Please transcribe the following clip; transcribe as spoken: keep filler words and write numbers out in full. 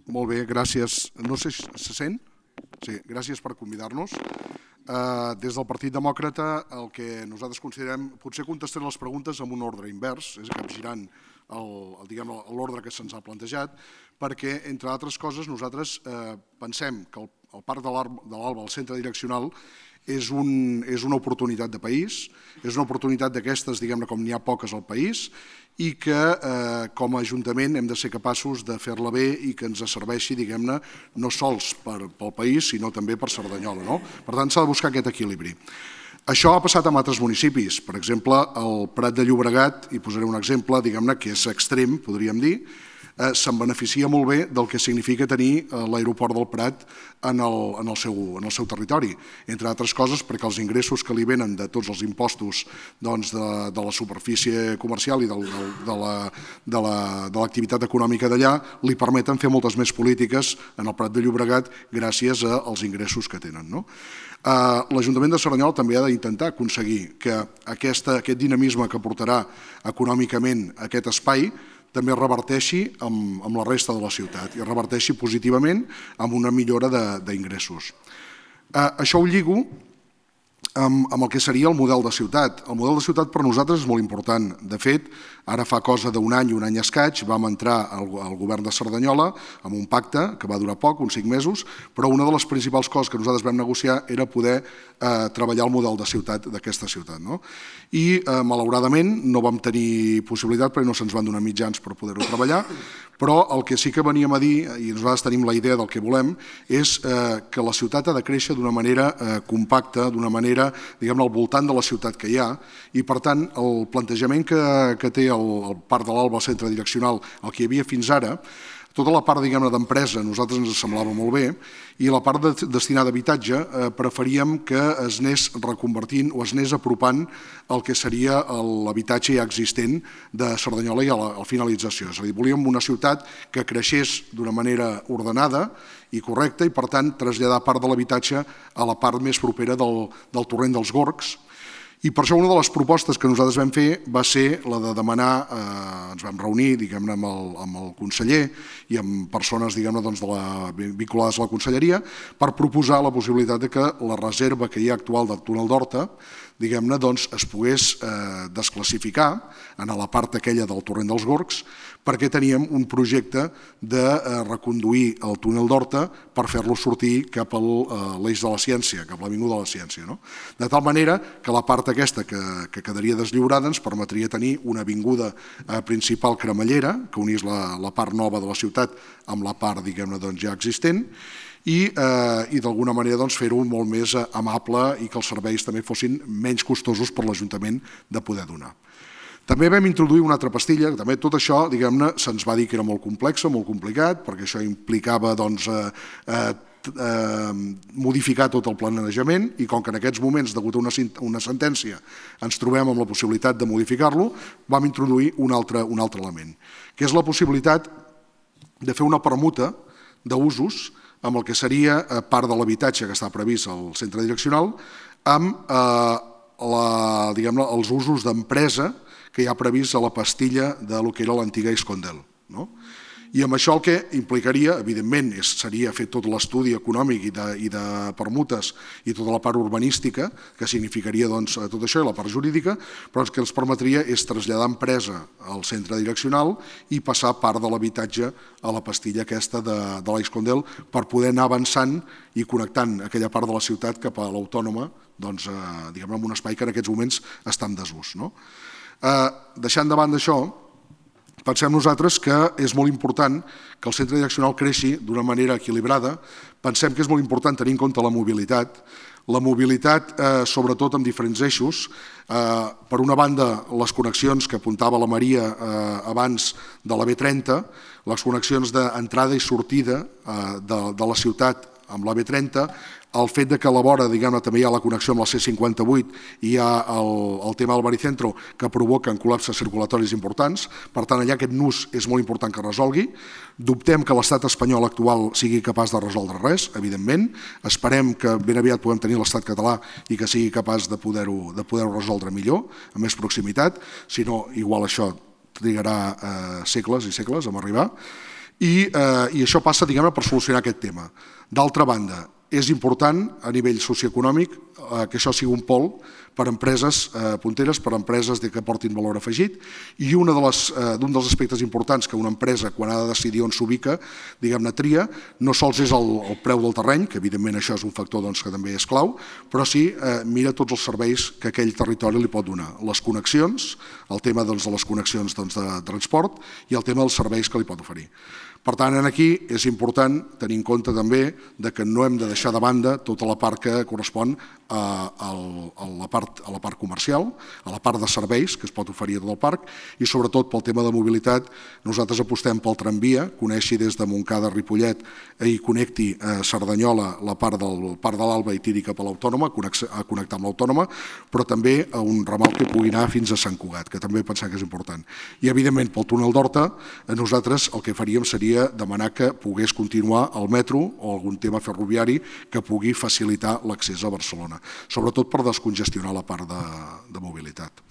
Molt bé, gràcies. No sé si se sent? Sí, gràcies per convidar-nos. Des del Partit Demòcrata el que nosaltres considerem, potser contestaré les preguntes amb un ordre invers, és capgirant l'ordre que se'ns ha plantejat, perquè, entre altres coses, nosaltres pensem que el Parc de l'Alba, el centre direccional, és una oportunitat de país, és una oportunitat d'aquestes, diguem-ne, com n'hi ha poques al país, i que com a Ajuntament hem de ser capaços de fer-la bé i que ens serveixi, diguem-ne, no sols pel país, sinó també per Cerdanyola. Per tant, s'ha de buscar aquest equilibri. Això ha passat en altres municipis. Per exemple, el Prat de Llobregat, i posaré un exemple, diguem-ne, que és extrem, podríem dir, se'n beneficia molt bé del que significa tenir l'aeroport del Prat en el seu territori. Entre altres coses, perquè els ingressos que li venen de tots els impostos de la superfície comercial i de l'activitat econòmica d'allà li permeten fer moltes més polítiques en el Prat de Llobregat gràcies als ingressos que tenen. L'Ajuntament de Cerdanyola també ha d'intentar aconseguir que aquest dinamisme que portarà econòmicament aquest espai també reverteixi amb la resta de la ciutat i reverteixi positivament amb una millora d'ingressos. Això ho lligo amb el que seria el model de ciutat. El model de ciutat per nosaltres és molt important. De fet, ara fa cosa d'un any, un any escaig, vam entrar al govern de Cerdanyola amb un pacte que va durar poc, uns cinc mesos, però una de les principals coses que nosaltres vam negociar era poder treballar el model de ciutat d'aquesta ciutat. I, malauradament, no vam tenir possibilitat perquè no se'ns van donar mitjans per poder-ho treballar, però el que sí que veníem a dir, i nosaltres tenim la idea del que volem, és que la ciutat ha de créixer d'una manera compacta, d'una manera, diguem-ne, al voltant de la ciutat que hi ha, i per tant el plantejament que té el Parc de l'Alba, el centre direccional, el que hi havia fins ara, tota la part, diguem-ne, d'empresa a nosaltres ens semblava molt bé i la part destinada a habitatge preferíem que es anés reconvertint o es anés apropant el que seria l'habitatge ja existent de Cerdanyola i a la finalització. És a dir, volíem una ciutat que creixés d'una manera ordenada i correcta i, per tant, traslladar part de l'habitatge a la part més propera del torrent dels Gorgs. I per això una de les propostes que nosaltres vam fer va ser la de demanar, ens vam reunir diguem-ne amb el conseller i amb persones vinculades a la conselleria per proposar la possibilitat que la reserva que hi ha actual del túnel d'Horta diguem-ne, es pogués desclassificar en la part aquella del torrent dels Gorgs perquè teníem un projecte de reconduir el túnel d'Horta per fer-lo sortir cap a l'eix de la ciència, cap a l'avinguda de la ciència. De tal manera que la part aquesta que quedaria deslliurada ens permetria tenir una avinguda principal cremallera que unís la part nova de la ciutat amb la part diguem-ne ja existent i d'alguna manera fer-ho molt més amable i que els serveis també fossin menys costosos per l'Ajuntament de poder donar. També vam introduir una altra pastilla, que també tot això diguem-ne se'ns va dir que era molt complex, molt complicat, perquè això implicava modificar tot el planejament i com que en aquests moments, degut a una sentència, ens trobem amb la possibilitat de modificar-lo, vam introduir un altre element, que és la possibilitat de fer una permuta d'usos amb el que seria part de l'habitatge que està previst al centre direccional amb els usos d'empresa que hi ha previst a la pastilla del que era l'antiga Iscondel. I amb això el que implicaria, evidentment, seria fer tot l'estudi econòmic i de permutes i tota la part urbanística, que significaria tot això i la part jurídica, però el que ens permetria és traslladar empresa al centre direccional i passar part de l'habitatge a la pastilla aquesta de l'Iscondel per poder anar avançant i connectant aquella part de la ciutat cap a l'Autònoma, diguem-ne, en un espai que en aquests moments està en desús. Deixant de banda això, pensem nosaltres que és molt important que el centre direccional creixi d'una manera equilibrada. Pensem que és molt important tenir en compte la mobilitat, la mobilitat sobretot amb diferents eixos. Per una banda, les connexions que apuntava la Maria abans de la B trenta, les connexions d'entrada i sortida de la ciutat amb la B trenta, el fet que a la vora també hi ha la connexió amb la C cinquanta vuit i hi ha el tema del baricentro que provoquen col·lapses circulatoris importants. Per tant, allà aquest nus és molt important que es resolgui. Dubtem que l'estat espanyol actual sigui capaç de resoldre res, evidentment. Esperem que ben aviat puguem tenir l'estat català i que sigui capaç de poder-ho resoldre millor, amb més proximitat. Si no, igual això trigarà segles i segles a arribar. I això passa, diguem-ne, per solucionar aquest tema. D'altra banda, és important a nivell socioeconòmic que això sigui un pol per a empreses punteres, per a empreses que portin valor afegit, i un dels aspectes importants que una empresa, quan ha de decidir on s'ubica, diguem-ne, tria, no sols és el preu del terreny, que evidentment això és un factor que també és clau, però sí mira tots els serveis que aquell territori li pot donar. Les connexions, el tema de les connexions de transport i el tema dels serveis que li pot oferir. Per tant, aquí és important tenir en compte també que no hem de deixar de banda tota la part que correspon a la part comercial, a la part de serveis que es pot oferir a tot el parc i sobretot pel tema de mobilitat nosaltres apostem pel tramvia, coneixi des de Montcada a Ripollet i connecti a Cerdanyola la part del Parc de l'Alba i tiri cap a l'Autònoma, a connectar amb l'Autònoma, però també a un ramal que pugui anar fins a Sant Cugat, que també pensem que és important. I evidentment pel túnel d'Horta nosaltres el que faríem seria demanar que pogués continuar el metro o algun tema ferroviari que pugui facilitar l'accés a Barcelona, sobretot per descongestionar la part de mobilitat.